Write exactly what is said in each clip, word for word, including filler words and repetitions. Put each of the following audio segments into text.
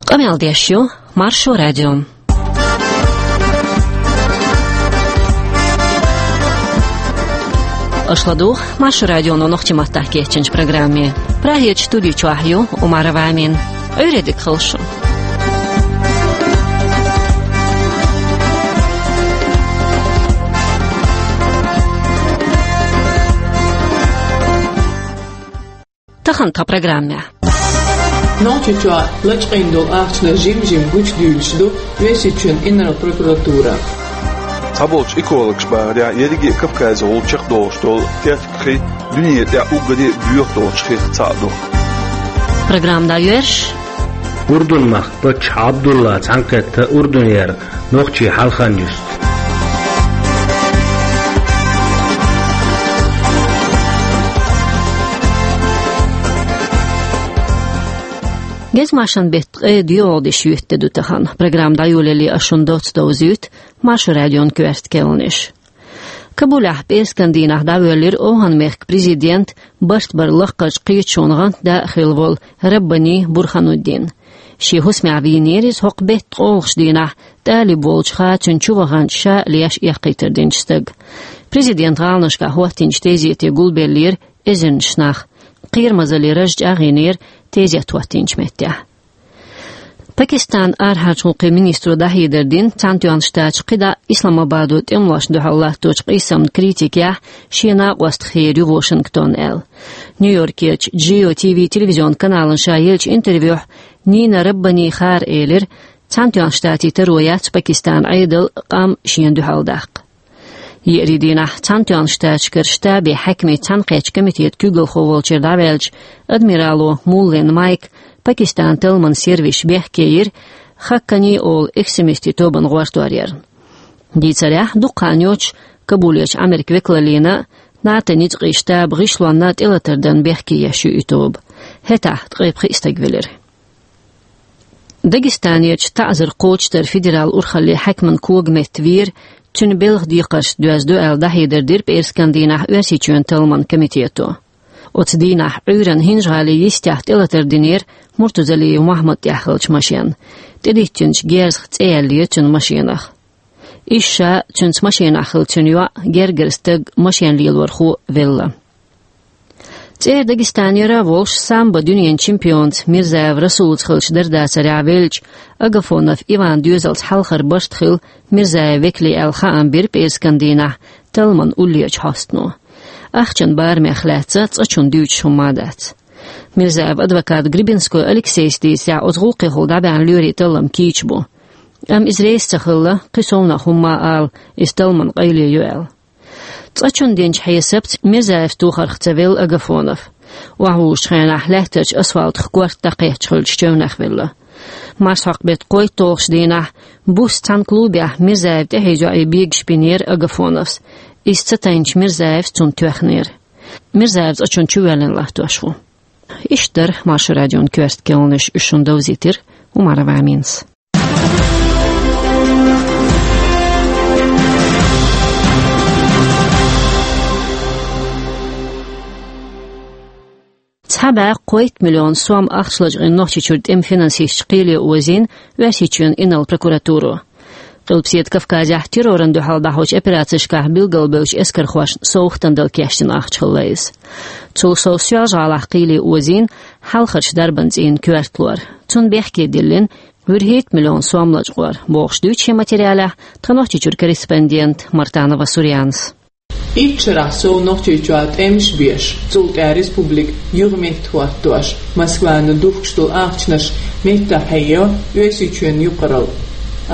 Къамел деш ю Маршо радио. Аша ладугӀу Маршо радионо нохчийн маттахь кечйинчу программе. Прагерчу студи чохь ю Умарова Амина. Ӏуьйре дика хуьлда шун. Тахана тхан программехь. Нохчийчохь лачкъийна долу ахчанаш жим-жима гучудуьйлуш ду Оьрсийчоьнан инарла прокуратура. Цхьаболчу экологаша бахарехь, ерриге а Кавказехула чекхдолуш долу техникийн дуьне тӀехь уггаре а боьха долчу хих цхьаъ ду. Программа дӀайоьрзуш. Урдун-махкан паччахь Ӏабдулла цхьаьнакхетта Урдунера нохчийн хьалхарчу юьстан. Гезгмашин беттан ткъе доьалгӀа де шоьтан де ду тахана. Программа дӀайолале ас шуна доцца довзуьйту Маршо радион коьрта керланаш. Кабулехь пӀераскан дийнахь дӀавоьллира ОвхӀан-мехкан президент, барт баран лаккхарчу кхеташонан гӀантда а хилла волу Раббани Бурхануддин. Шен хӀусамехь вийнера иза хӀокху беттан ткъолгӀачу дийнахь, тӀалиб волчу хаа цуьнан чу ваханчу ша а леш эккхийтар динчу стага. Президентан гӀаланашкахь хӀоттийначу тезете гулбеллера эзарнаш нах. Кхерамазаллин раж чӀагӀйинера тезет хӀоттийначу меттехь. Пакистанан арахьарчу гӀуллакхийн министро дӀахьедар дина, Цхьаьнатоьхначу Штаташа кхидӀа Исламабадо тӀемалошна дуьхьал латточу къийсамна критика яхь шен накъостах хир ю Вашингтон аьлла. Нью-Йоркерчу Джио Ти Ви телевизионан каналана ша еллачу интервьюхь Нина Раббани Хаар элира, Цхьаьнатоьхначу Штатийн таро яц Пакистанан Ӏедал, къам шена дуьхьал даккха. Еарин дийнахь Цхьаьнатоьхначу Штаташкара штабийн хьаькамийн цхьаьнакхеттачу комитетан куьйгалхо волчуьра дӀаваьллачу адмирало Муллен Майка Пакистанан талламан сервисаша бехке йира Хаккани олу экстремистийн тобанан гӀортор ярна. Дийцарехь, дукха хан йоцуш Кабулерчу Ӏамеркан векалаллина а, НАТО-н ницкъийн штабан гӀишлонна а тӀелатар дан бехке еш ю и тоба. ХӀетахь ткъе пхиъ стаг велира. Дагестанерчу таӀзар кхочушдаран федералан урхаллин хьаькаман когаметта вийра, цуьнан белхан декхаршца доьзна ду аьлла, дӀахьедар дира пӀераскан дийнахь Оьрсийчоьнан талламан комитето. Оцу дийнахь Ӏуьйранна ХӀинжа-ГӀалин йистехь тӀелатар динера Муртузалиев Мохьмадан тӀехь хиллачу машенна. ТӀедиттинчу герзах цӀе яьллера цуьнан машенах. Иза ша, цуьнца машенахь хилла цуьнан йоӀ, гергара стаг, машен лелорхо велла. ЦӀера Дагестанера а волуш, самбо дуьненан чемпионца Мирзаев Расулаца хиллачу дарбанца веллачу Агафонов Иванан доьзалца хьалхара барт хилла Мирзаевн векалийн аьлла хаам бира пӀераскан дийнахь талламан уллерчу хьостано. Ахчанан барамех лаьцна цкъачунна дуьйцуш хӀумма дац. Мирзаевн адвокато Гребенской Алексейс дийцарехь, оцу гӀуллакхехула дӀабаьхьна лоьрийн таллам кийча бу. Амма иза реза ца хилла, кхин совнаха хӀумма а ала, иза талламан къайле ю аьлла. Цкъачунна динчу хьесапца Мирзаевс тохарх ца велла Агафонов. Охьавужучу хенахь лаьттарчу асфалтах корта дӀакхетташ хиллачу чевнах велла. Марсхьокху беттан кхойтталгӀачу дийнахь буса цхьана клубехь Мирзаевн тӀаьхье йоӀе бегаш бинера Агафоновс. Иза ца тайначу Мирзаевс цунна тоьхнера. Мирзаев цкъачунна чувоьллина латтош ву. Иштта дара Маршо радион коьрта керланаш, уьш шуна довзийтира Умарова Аминас. Цхьа бӀе кхойтта миллион сом ахча лачкъийна Нохчийчуьра тӀеман финансисташ кхеле озийна Оьрсийчоьнан инарла прокуратуро. Къилбаседа Кавказехь террорна дуьхьал дӀахьочу операцешкахь билгалбевллачу эскархошна совгӀатана дала кечдина ахча хилла иза. Цул сов Соьлжа-ГӀалахь кхеле озийна хьалхарчу дарбан цӀийнан коьрталора. Цунна бехке диллина вуьрхӀитта миллион сом лачкъор, бохуш дуьйцу шен материалехь тхан Нохчийчуьра корреспондента Мартанова Сурьянас. Итт шарахь сов Нохчийчохь тӀемаш беш, цул тӀаьхьа республика юха меттахӀоттош, Москвана духкуш долу ахчанаш меттахъхьейо Оьрсийчоьнан юкъаралла.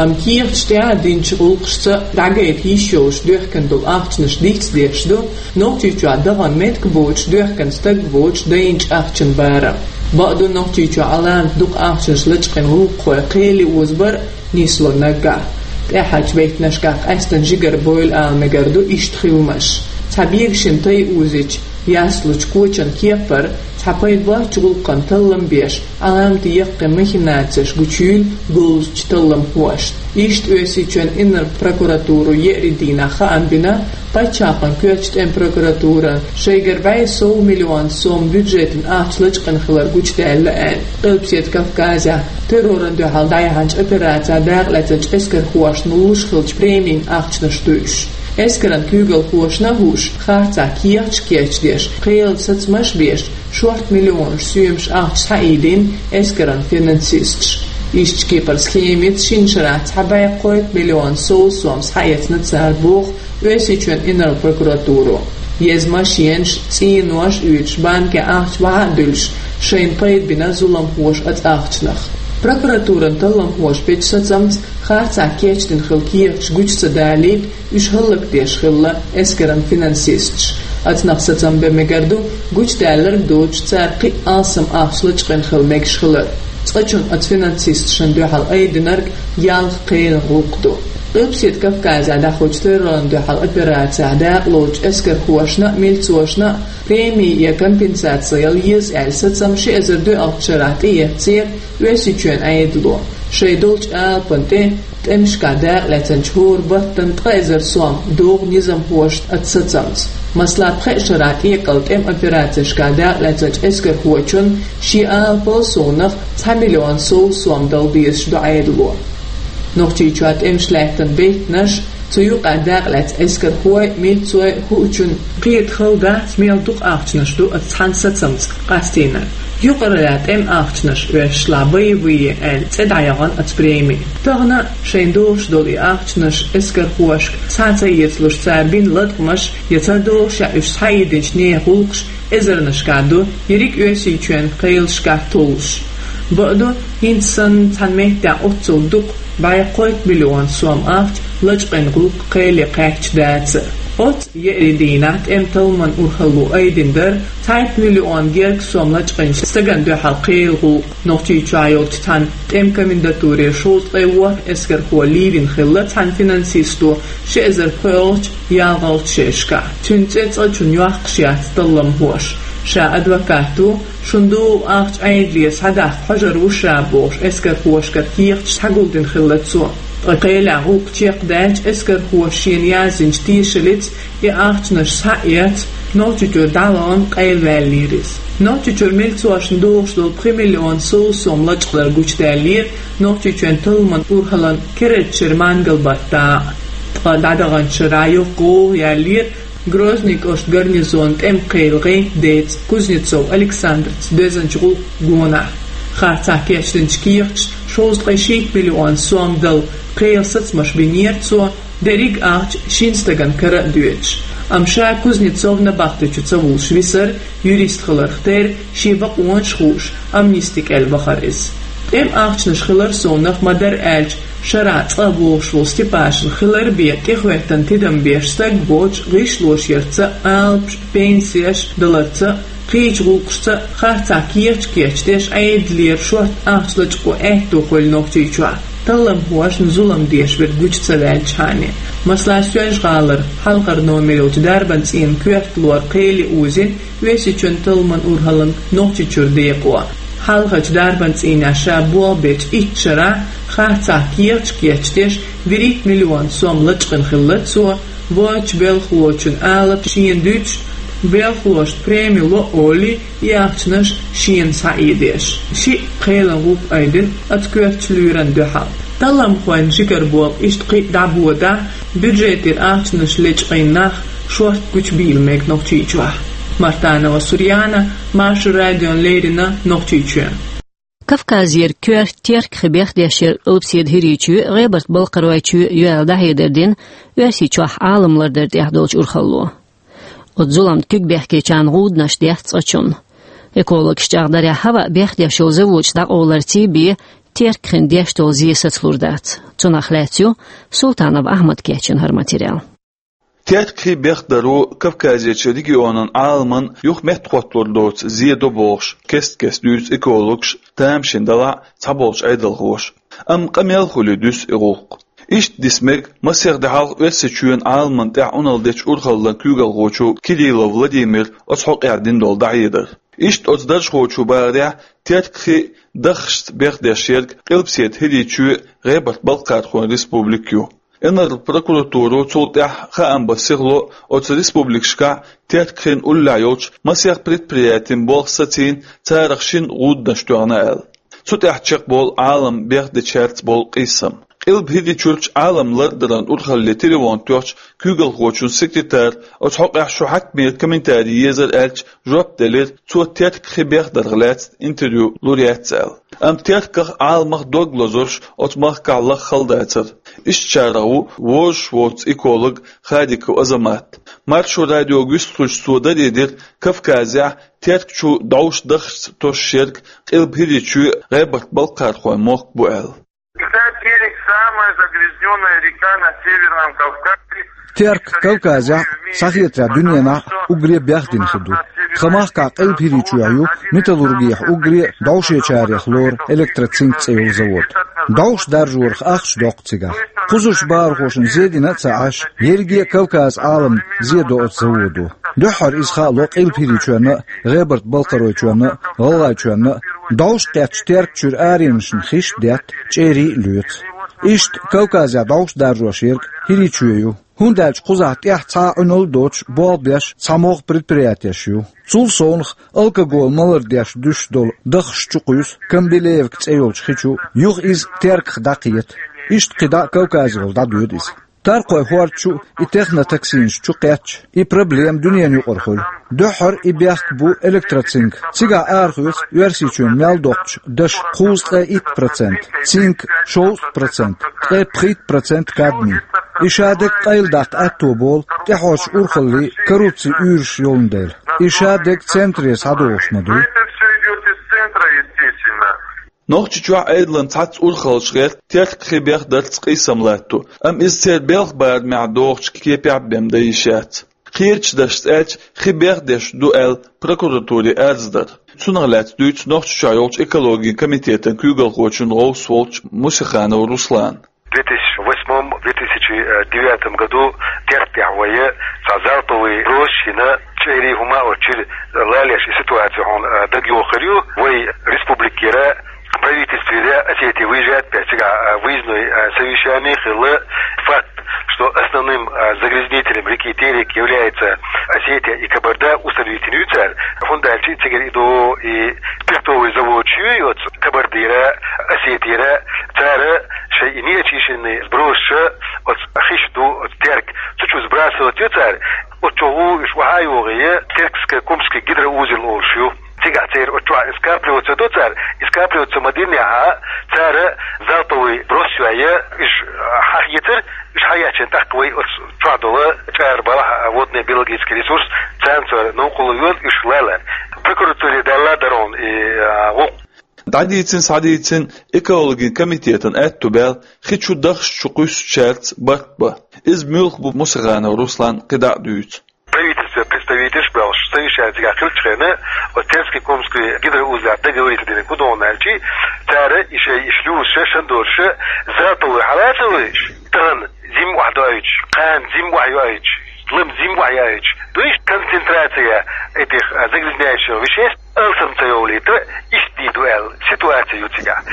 Амма кехаташ тӀехь а динчу гӀуллакхашца дӀагайта йиш йолуш доьхкина долу ахчанаш дицдеш ду Нохчийчохь дахана меттиг боцуш, доьхкина стаг воцуш дайначу ахчанан барам. Бакъду, Нохчийчохь Ӏаламат дукха ахчанаш лачкъийна гӀуллакххой кхеле озабар нисло наггахь. ТӀаьххьарчу беттанашкахь къаьсттина жигара бойла ала мегар ду иштта хиламаш. Цхьа бегашна тай озийча яслучу кочан кепара Цхьа пайда боацача гӀулакхана таллам беш, Ӏаламате яккхий махинацеш гучуйийла говзача талламхошта. Иштта Оьрсийчоьнан инарла прокуратуро еарин дийнахьа хаам бина, паччахьалкхен коьртачу тӀеман прокуратура шайгара бӀе сов миллион сом бюджетан ахча лачкъийна хилар гучудаьлла аьлла. Къилбаседа Кавказехь террорна дуьхьал дӀаяьхьначу операцехь дакъа лаьцначу эскархошна луш хиллачу премийн ахчанаш ду уьш. Эскаран куьйгалхошна а хууш, харцахь кехаташ кечдеш, кхелан сацамаш а беш, шорта миллионаш соьмаш ахча схьаийдина эскаран финансисташа. Иштта кепара схемица шина шарахь цхьа бӀе кхойтта миллион сов сом схьаэцна цара, боху Оьрсийчоьнан инарла прокуратуро. Еза машенаш, цӀенош а оьцуш, банкехь ахча вахьа а дуьллуш, шайна пайда бина зуламхоша оцу ахчанах. Прокуратуран талламхоша бечу сацамца харцахь кечдина хилла кехаташ гучу ца далийта, уьш хӀаллакдеш хилла эскаран финансисташ. Оцунах сацам бан мегар ду, гучудаьлларг доцуш, цара кхин а алсам ахча лачкъийна хила мегаш хилар. Цкъачунна оцу финансисташна дуьхьал айдинарг ялх кхелан гӀуллакх ду. Къилбаседа Кавказехь дӀахьочу террорна дуьхьал операцехь дакъа лоцучу эскархошна а, милцошна а преми я компенсаци яла еза аьлла сацам ши эзар доьалгӀачу шарахь тӀеэцнера Оьрсийчоьнан Ӏедало. Шайн долчу алапан тӀе тӀемашкахь дакъа лаьцначу хӀора баттана ткъа эзар сом догӀу низамхошна оцу сацамца. Масала, пхеа шарахь тӀекъала тӀеман операцешкахь дакъа лаьцначу эскархочунна шен алапал совнах цхьа миллион сов сом дала дезаш ду Ӏедало. Нохчийчохь тӀемаш лаьттан беттанаш, цу юкъахь дакъа лаьцна эскархой, милцой хуучунна кхета хала дац, мел дукха ахчанаш ду оцу цхьана сацамца къастийнарг. Юкъаралла тӀеман ахчанаш оьшуш лахь боевые аьлла цӀе дӀаяхана оцу преми. Тахана шайна догӀуш долу и ахчанаш эскархошка схьа ца эцалуш, цара бина латкъамаш я ца догӀуш, я уьш схьаийдинчу нехан гӀуллакхаш эзарнашкахь ду, ерриг Оьрсийчоьнан кхелашкахь толлуш. Бакъду, хӀинца санна цхьана меттехь оццул дукха, бӀе кхойтта миллион сом ахча лачкъийна гӀуллакх кхеле кхаьчча дац. Оццу еарин дийнахь тӀеман талламан урхалло айдина дара цхьайтта миллион герга сом лачкъийначу стагана дуьхьал кхелан гӀуллакх. Нохчийчохь йолчу цхьана тӀеман комендатуре шовзткъе ворхӀ эскархо лийвина хилла цхьана финансисто ши эзар пхоьалгӀачу, ялхалгӀачу шерашкахь. Цуьнан цӀе цкъачунна йоккхуш яц талламхоша. Ша адвокат ву, шуна догӀу ахча Ӏедалера схьадаккха хьожур ву ша, бохуш, эскархошкара кехаташ схьагулдина хилла цо. Ткъа кхелехь гӀуллакх чекхдаьлча, эскархоша шена яздинчу тешаллица и ахчанаш схьаэцна, Нохчийчуьра дӀавахана къайлаваьллера иза. Нохчийчуьра милцошна догӀуш долу пхи миллион сов сом лачкъалар гучудаьллера Нохчийчоьнан талламан урхаллин керардачуьра мангал-баттахь. Ткъа дӀадаханчу шарахь йоккха гӀовгӀа яьллера Грозный кӀоштан гарнизонан тӀеман кхелан гӀентан деца Кузнецов Александрца доьзначу гӀуллакхан гонахь. Харцахь кечдинчу кехаташна шовзткъе шийтта миллион сом дала кхелан сацамаш бинера цо, дерриг а ахча шина стагана кара а доьдуш. Амма ша Кузнецов набахтечу ца вуллуш висар, юрист хиларх терра, шен бакъонаш хууш, амнисти кӀел вахара иза. ТӀеман ахчанаш хилар совнах, ма-дарра аьлча, шарахь цкъа а богӀуш волу Степашин хилар бен тӀехӀоьттина тидам беш стаг воцуш, гӀишлош ярца, алапаш, пенсеш даларца, кхечу гӀуллакхашца харцахь кехаташ кечдеш, Ӏедалера шорта ахча лачкъо аьтто хуьлу Нохчийчохь, талламхошна зулам деш верг гучу ца ваьлчхьана. Масала, Соьлжа-ГӀалара хьалхара номер йолчу дарбан цӀийнан коьрта лор кхеле узина Оьрсийчоьнан талламан урхаллин Нохчийчуьра декъо. Хьалхарчу дарбан цӀийнехь ша болх бечу итт шарахь харцахь кехаташ кечдеш, вуьрхӀитта миллион сом лачкъийна хилла цо, воцчу белхалочун алапаш шена дуьтуш, белхалошна преми ло а олий, и ахчанаш шена схьаийдеш. Шиъ кхелан гӀуллакх айдина оцу коьртачу лоьран дуьхьал. Талламхойн жигара болх иштта кхин а дӀабодахь, бюджетера ахчанаш лечкъийна нах шорта гучубийла мега Нохчийчохь. Мартанова Сурьяна, Маршо радиона леррина, Нохчийчоь. Кавказера коьрта Теркхи бехдеш яра Къилбаседа ХӀирийчоь а, ГӀебарта-Балкхаройчоь а йоьлла дӀахьедар дина Оьрсийчохь Ӏалам лардар тӀехь долчу урхалло. Оцу зуламна куьг бехкечарна гӀуданаш детташ цкъачунна. Экологаша чӀагӀдарехь, хӀаваъ бехдеш йолу заводаш дӀакъовларций бен Теркхин деш долу зе сацалур дац. Цунах лаьцна ю Султанов Ахьмада кечйина хӀара материал. Теркхи бехдаро Кавказерчу регионан Ӏаламан юха меттахӀотталур доцу зе до бохуш, кест-кеста дуьйцу экологаша, тамашийна делахь а, цхьаболчу Ӏедалхоша. Амма къамел хуьлий дуьсу и гӀуллакх. Иштта диса мега масех де хьалха Оьрсийчоьнан Ӏаламна тӀехь Ӏуналла дечу урхаллан куьйгалхочо Кириллов Владимира оцу хьокъехь дина долу дӀахьедар. Иштта оцу даржхочо бахарехь, Терк хи даххашца бехдеш ерг Къилбаседа ХӀирийчоь, ГӀебарта-Балкхархойн республика ю. Инарла прокуратуро цул тӀаьхьа хаам бан сихло оцу республикашкахь Терк хин уллехь йолчу масех предприятин болх сацийна, царах шина гӀуданаш тоьхна аьлла. Цу тӀехь чекхболу Ӏалам бехдечаьрца болу къийсам. Къилба ХӀирийчуьрчу Ӏалам лардаран урхалле телефон тоьхча, куьйгалхочун секретара оцу хьокъехь шу хьаькамера комментари езар аьлча, жоп делира, цо Терк хи бехдарх лаьцна интервью лур яц аьлла. Амма Терках, Ӏаламах дог лозурш оцу махкахь лаха хала дацара. Иштачарах ву вожаш воцу эколог Хадиков Азамат. Маршо радиога вистхуьлуш цо даре дира, Кавказехь Терк чу дӀовш даххашца тосуш ерг Къилба ХӀирийчоь, ГӀебарта-Балкхархойн мохк бу аьлла. Река Терек — самая загрязнённая река на Северном Кавказе. Терк Кавказехь, схьахетарехь, дуьненахь уггаре бехдина хи ду. Тхан махкахь Къилба ХӀирийчохь ю металлургехь уггаре дӀовшечарех лору «Электроцинк» цӀе йолу завод. ДӀовш даржорах ахча доккху цигахь. Кхузарчу бахархошна зе дина а ца Ӏаш, ерриге а Кавказан Ӏалам зе до оцу заводо. Дуьххьара иза хаало Къилба ХӀирийчоьнна а, ГӀебарта-Балкхаройчоьнна а, ГӀалгӀайчоьнна а. ДӀовш кхеттачу Терк чуьра аренашна хиш а детта, чӀерий а лоьцу. Иштта Кавказехь дӀовш даржош ерг ХӀирийчоь ю. ХӀунда аьлча кхузахь тӀехь цхьа а Ӏуьналла а доцуш, болх беш цхьа могӀа предприятеш ю. Цул совнаха, алкоголь малар деш дуьсуш долу даххаш чу кхуьйсу Камбилеевка цӀе йолчу хи чу, юха иза Терках дӀакхета. Иштта кхидӀа а Кавказехула дӀадоьду иза. Таркхойн хӀорда чу и технотоксинаш чу кхетча, и проблема дуьненан юкъара хуьлу. Дуьххьара и бехк бу «Электроцинк». Цигахь арахоьцу Оьрсийчоьнан мел доккхучу дашан кхузткъе итт процент, цинк — шовзткъа процент, ткъе пхийтта процент кадмий. И шадерг къайладаккха аьтто болу тӀаьхьарчу урхаллин коррупцин уьйраш йолун дела. И шадерг центре схьадогӀуш ма ду. Это всё идёт из центра, естественно. Нохчийчохь Ӏедалан цхьацца урхаллаш гӀерта Терк хи бехдарца къийсам латто, амма иза церан белхан барамехь догӀучу кепехь бен дан йиш яц. Кхечу дашца аьлча, хи бехдеш ду аьлла прокуратуре арз дара. Цунах лаьцна дуьйцу Нохчийчохь йолчу экологин комитетан куьйгалхочун гӀовс волчу Мусиханов Руслана. Две тысячи восьмом — две тысячи девятом году Терк тӀехь вай цхьа залповый брос йина, чӀерий, хӀума оцу чуьра лалеш, и ситуаци хьуна дага йохур ю. Вай республикера, правительствера Осетия выезжает, цигахь выездной совещание хилла. Факт, что основным загрязнителем реки Терек является Осетия и Кабарда, установить йина ю цара. ХӀунда аьлча цигара и до и пиртовый завод ю, оцу Кабардера, Осетера, цара шайн и неочищенный сбросаш оцу хиш ду, оцу Терк, цу чу сбрасывать йо цара. Оцу чу гӀу уьш охьа а йогӀий, Теркско-Кумский гидроузел олуш ю. Цигахь церан оцу чохь и скапливаться до цара, и скапливаться ма динехь, цара залповый брос йой, уьш хьахецар, уьш хьаеччина тӀаккха вай оцу чохь долу чӀара балахь, водный биологический ресурс, царна цара новкъарло йо уьш лала. Прокуратуре даьлла дара хьуна и гӀуллакх. ДӀадийцина, схьадийцина экологин комитетан аьтту баьлла хи чу даххаш чу кхуьссучаьрца барт бан. Иза муьлха бу Мусиханов Руслана кхидӀа а дуьйцу. Правительстве представительш а баьлла совещани цигахь хиллачу хенахь, оцу Теркско-Кумский гидроузелехь договориться динарг хӀун ду аьлча, цара и шайн и шлюзаш, шандораш залповый хьалацавеш, тахана зима охьадоуьйтуш, кхана зима охьайоуьйтуш, лама зима охьайоуьйтуш, дуьйш концентрация этих загрязняющих веществ алсам ца йовлийта, иштта дийр ду аьлла ситуаци ю цигахь.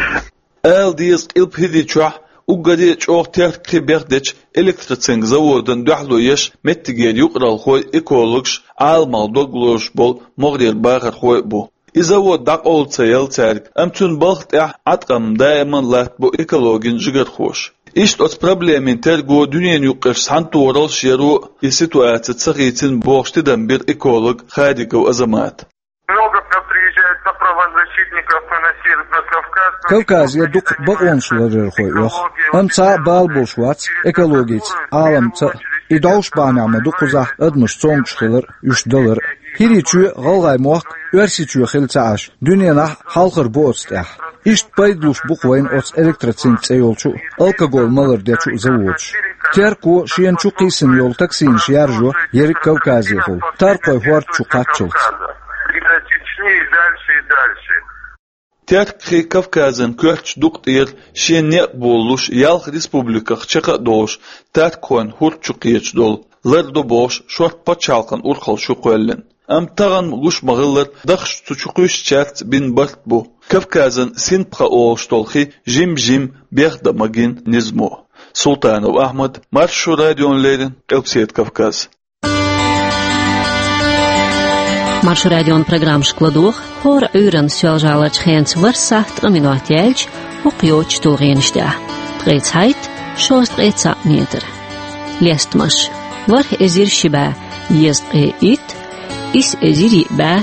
Ала деза, Къилба ХӀирийчохь уггаре а чӀогӀа Терк хи бехдечу «Электроцинк» заводан дуьхьало еш меттигера юкъаралхой, экологаш, Ӏаламах дог лозуш болу могӀарера бахархой а бу. И завод дӀакъовла ца елла цаьрга, амма цуьнан балха тӀехь Ӏаткъам даиман латтабо экологин жигархоша. Иштта оцу проблемин терго, дуьненан юккъерш схьантохаралш яро и ситуаци ца хийцина бохуш тидам бира эколог Хадиков Азамата. Много приезжает на правозащитников на Северный Кавказ. Кавказе дукха бакъонаш ларъярхой оьху, амма цхьа а бала болуш вац экологица, Ӏаламца а. И дӀовш бахьанехь ма ду кхузахь адамаш цомгуш хилар а, уьш далар а. ХӀирийчоь, ГӀалгӀай мохк Оьрсийчоь хилла ца Ӏаш, дуьненахь хьалхара бу оцу тӀехь. Иштта пайда луш бу-кх вайна оцу «Электроцинк» цӀе йолчу а, алкоголь малар дечу а заводаш. Терко шена чу кхийсина йолу токсинаш яржо ерриг Кавказехула, Таркхойн хӀорда чу кхаччалц. Из Чечни и дальше, и дальше. Терк хи Кавказан коьртачу дукъа тӀера шен некъ болалуш, ялх республиках чекх а долуш, Таркхойн хӀорда чу кхеташ долу лар ду бохуш, шорта пачхьалкхан урхалла шу кхоьллина. Амма тахана гуш ма-хиллара, дахча цу чу кхуьссучаьрца бина барт бу. Кавказан синпха олуш долу хи жим-жим бехдан магийна низамо. Султанов Ахьмад, Маршо радиона леррина, Къилбаседа Кавказ. Маршо радион программашка ладогӀа хӀора Ӏуьйранна Соьлжа-ГӀаларчу хенца ворхӀ сахьт ткъа минот яьлча, хӀокху йоцучу тулгӀенаш тӀехь: ткъе цхьайтта, шовзткъе цхьаъ метр. Лестамаш: ворхӀ эзар ши бӀе езткъе итт, исс эзар йиъ бӀе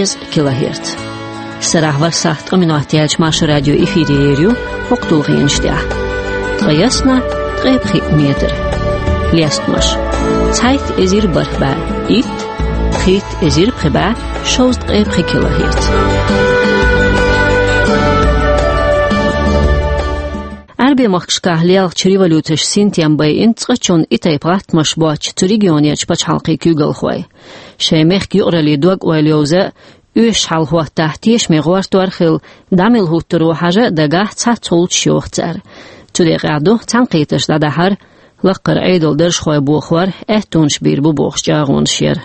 езткъа килогерц. Сарахь ворхӀ сахьт ткъа минот яьлча Маршо радио эфире ер ю хӀокху тулгӀенаш тӀехь: ткъе ялх, ткъе пхи метр. Лестамаш: цхьайтта эзар бархӀ бӀе итт, пхийтта эзар пхи бӀе шовзткъе пхи килогерц. Ӏаьрбийн махкашкахь лелхачу революцеша синтем байина цкъачунна и тайпа гӀаттамаш боцучу цу регионерчу пачхьалкхийн куьйгалхойн. Шайн мехкан юкъараллин дог-ойла йовза а, оьшуш хьалахӀоттахь тешаме гӀортор а хилла, дӀа мила хӀуттур ву хьажа а дагахь, цхьацца гӀулчаш йоху цара. Цу декъехь ду цхьаьнакхетарш дӀадахьар, лаккхара Ӏедалан даржхой бохор, аьттонаш бийр бу бохуш чӀагӀонаш яр.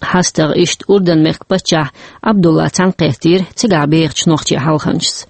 ХьастагӀа иштта Урдан-мехкан паччахь Ӏабдулла цхьаьнакхеттийра цигахь бехачу нохчийн хьалханчашца.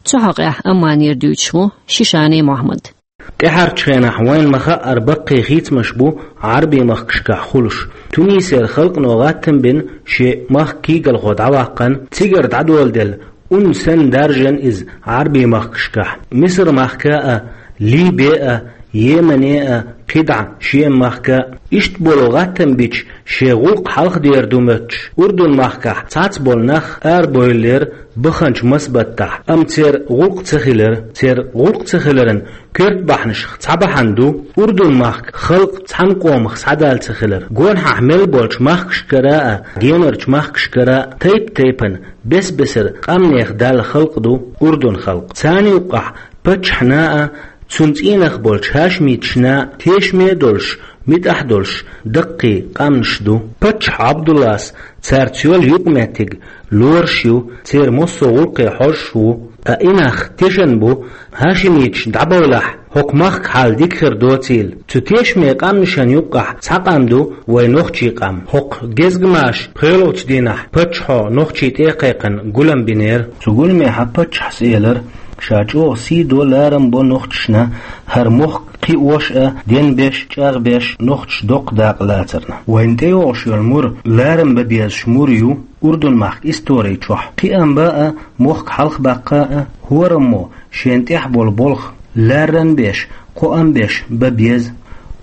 Цу хьокъехь Амманера дуьйцуш ву Шишани Мохьмад. ТӀаьхьарчу хенахь вайна ма-хаъара баккхий хийцамаш бу Ӏаьрбийн махкашкахь хуьлуш. Тунисера халкъано гӀаттам бина шен махкан куьйгалхо дӀаваккхарна, цигара дӀадоладелла, ун санна даржана иза Ӏаьрбийн махкашкахь, Мисар-махка а, Либе а, Йемене а, кхидӀа Шема-махка а. Иштта болу гӀаттам бича, шен гӀуллакх хьалхадер ду моьттуш, Урдун-махкахь цхьацца болу нах арабевллера баханчу маса баттахь, амма церан гӀуллакх ца хилира. Церан гӀуллакх ца хиларан коьрта бахьанашах цхьа бахьана ду Урдун-махкан халкъ цхьана къомах схьадала ца хилар. Гонахьа мел болчу махкашкара а, генарчу махкашкара а тайп-тайпана бес-бесара къаьмнех даьлла халкъ ду Урдун халкъ. Царна юккъехь паччахьна а, цуьнан цӀийнах болчу хьашимиташна а тешаме а долуш, муьтӀахь а долуш даккхий къаьмнаш ду. Паччахь Ӏабдуллас цаьрца йолу юкъаметтиг лоруш ю, церан массо а гӀуллакхе хьожуш ву. Ткъа и нах тешна бу, хьашимиташ дӀабовлахь, хӀокху махкан хьал дика хир доцийла. Цу тешаме къаьмнашна юккъехь цхьа къам ду вайн нохчийн къам. ХӀокху гезгамаша пхоьалгӀачу дийнахь паччахьо нохчийн тӀе а кхайкхина гулам бинера. Цу гуламехь паччахьас элира, ша чӀогӀа сий до, ларам бо нохчашна, хӀара мохк кхиош а, денбеш, чӀагӀбеш нохчаша доккха дакъа лацарна. Вайна тӀейогӀуш йолу мур ларам бан безаш мур ю Урдун-махкан истори чохь. Кхиам бан а, мохк хьалхабаккха а, хӀораммо шена тӀехь болу болх ларам беш, кхоам беш бан беза.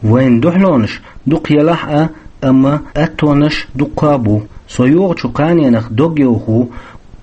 Вайн дуьхьалонаш дукха елахь а, амма аттонаш дуккха а бу. Со йогӀучу кханенах дог йовха ву,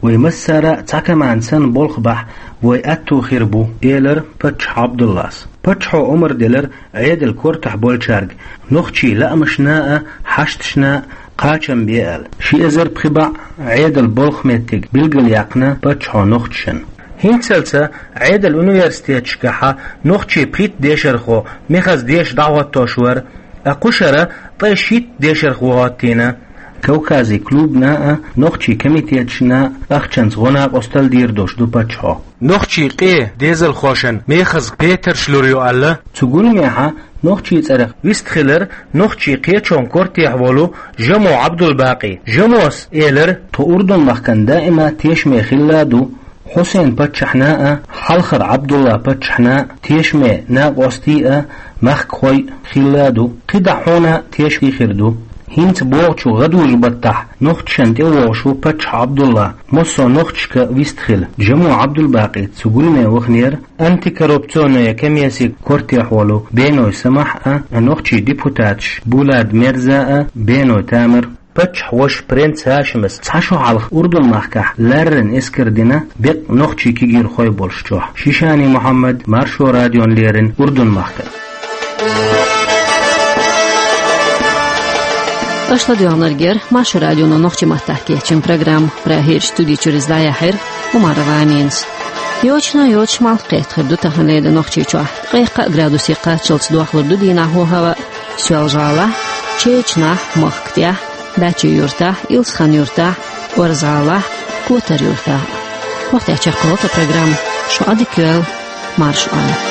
вай массара а цхьа команда санна болх бахь, вай аьтто хир бу, элира паччахь Ӏабдуллас. Паччахьо омра делира Ӏедалан кортахь болчаьрга нохчийн лаамашна а, хьашташна а кхачам бе аьлла. Ши эзар пхи бӀе Ӏедалан болх меттиг билгалъяьккхина паччахьо нохчашна. ХӀинцалц Ӏедалан университеташкахь нохчийн пхийтта дешархо мехаза деша дӀахӀоттош вара, ткъа кху шарахь ткъе шийтта дешархо хӀоттийна. Кавказан клубна а, нохчийн комитеташна а ахчанца гӀо-накъостал дийр долуш ду паччахьо. Нохчийн къен дезалхошна мехаза петарш лур ю аьлла. Цу гуламехь нохчийн цӀарах вистхилира нохчийн кхечун кортехь волу Жамо Ӏабдулбакъи. Жамос элира: «Тхо Урдун-махкана даима тешаме хилла а ду. Хьусайн-паччахьна а, хьалхара Ӏабдулла-паччахьна а тешаме накъостий а, махкахой а хилла а ду. КхидӀа хьуна а тешаме хир ду. ХӀинца богӀучу гӀадужу баттахь нохчашна тӀевогӀуш ву паччахь Ӏабдулла, массо а нохчашка вистхила». Жамо Ӏабдулбакъи цу гуламе ваханера антикоррупционная комиссин кортехь волу Беной Самахь а, нохчийн депутаташ Булат Мерза а, Беной Тамар. Паччахьан вашас принц Хашимас цхьа шо хьалха Урдун-махкахь ларрина эскар дина, беккъа нохчийн кегийрхой болуш чохь. Шишани Мухьаммад, Маршо радиона леррина, Урдун-махкара. Аша ладоьгӀнарг яра Маршо радионо нохчийн маттахь кечйина программа. Прагерчу студи чуьра иза дӀаяьхьира Умарова Аминас. Йочана йоцуш малх кхетта хир ду таханлера Нохчийчохь. Ткъе кхаа градусе кхаччалц дохлур ду дийнахь хӀаваъ Соьлжа-ГӀалахь, Чечанахь, Махка тӀехь, БӀачи-Юьртахь, Илсхан-Юьртахь, Орза-ГӀалахь, Котар-Юьртахь. ХӀокху тӀехь чекхйолу тхан программа. Шун Ӏадика йойла, марша Ӏойла.